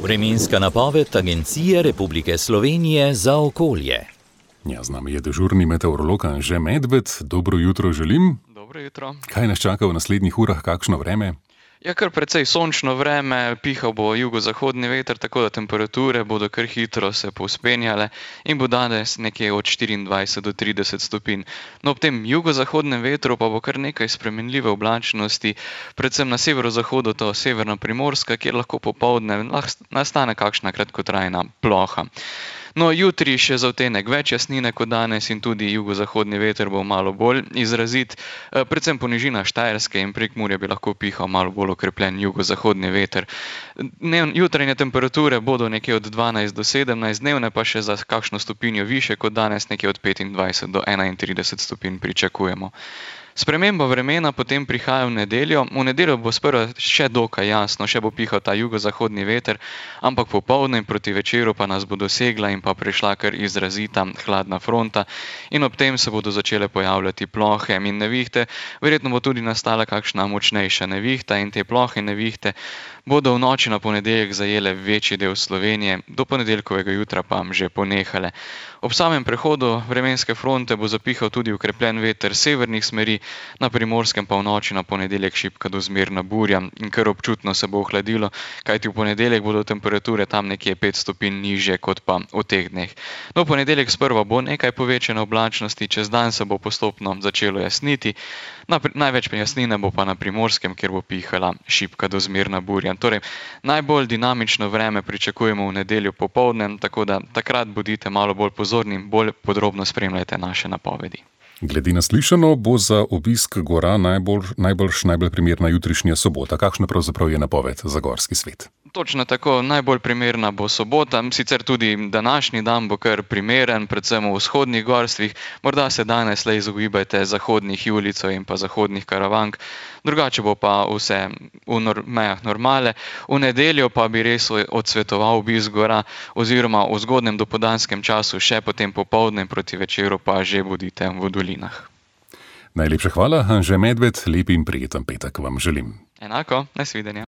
Vremenska napoved Agencije Republike Slovenije za okolje. Ja, z nami je dežurni meteorolog Anže Medved. Dobro jutro želim. Dobro jutro. Kaj nas čaka v naslednjih urah, kakšno vreme? Ja, kar precej sončno vreme, pihal bo jugozahodni veter, tako da temperature bodo kar hitro se povzpenjale in bo danes nekje od 24 do 30 stopinj. No, ob tem jugozahodnem vetru pa bo kar nekaj spremenljive oblačnosti, predvsem na severozahodu, to severna Primorska, kjer lahko popoldne nastane kakšna kratkotrajna ploha. No, jutri še za odtenek več jasnine kot danes in tudi jugozahodni veter bo malo bolj izrazit, predvsem po nižinah Štajerske in Prekmurja bi lahko pihal malo bolj okrepljen jugozahodni veter. Jutranje temperature bodo nekje od 12 do 17, dnevne pa še za kakšno stopinjo više kot danes, nekje od 25 do 31 stopinj pričakujemo. Sprememba vremena potem prihaja v nedeljo. V nedeljo bo sprva še dokaj jasno, še bo pihal ta jugozahodni veter, ampak popoldne in proti večeru pa nas bo dosegla in pa prišla kar izrazita hladna fronta in ob tem se bodo začele pojavljati plohe in nevihte. Verjetno bo tudi nastala kakšna močnejša nevihta in te plohe in nevihte bodo v noči na ponedeljek zajele večji del Slovenije, do ponedeljkovega jutra pa že ponehale. Ob samem prehodu vremenske fronte bo zapihal tudi okrepljen veter severnih smeri, na Primorskem pa v noči na ponedeljek šibka do zmerna burja in kar občutno se bo ohladilo, kajti v ponedeljek bodo temperature tam nekje 5 stopinj nižje kot pa v teh dneh. No, v ponedeljek sprva bo nekaj povečane oblačnosti, čez dan se bo postopno začelo jasniti, največ jasnine bo pa na Primorskem, kjer bo pihala šibka do zmerna burja. Torej, najbolj dinamično vreme pričakujemo v nedeljo popoldne, tako da takrat bodite malo bolj pozorni, bolj podrobno spremljajte naše napovedi. Glede na slišano bo za obisk gora najbolj primerna jutrišnja sobota. Kakšna pravzaprav je napoved za gorski svet? Točno tako, najbolj primerna bo sobota, sicer tudi današnji dan bo kar primeren, predvsem v vzhodnih gorstvih, morda se danes le izogibajte zahodnih julicov in pa zahodnih karavank, drugače bo pa vse v mejah normale. V nedeljo pa bi res odsvetoval obisk gora oziroma v zgodnjem dopoldanskem času, še potem popoldne proti večeru pa že bodite v dolinah. Najlepša hvala, Anže Medved, lep in prijeten petek vam želim. Enako, nasvidenja.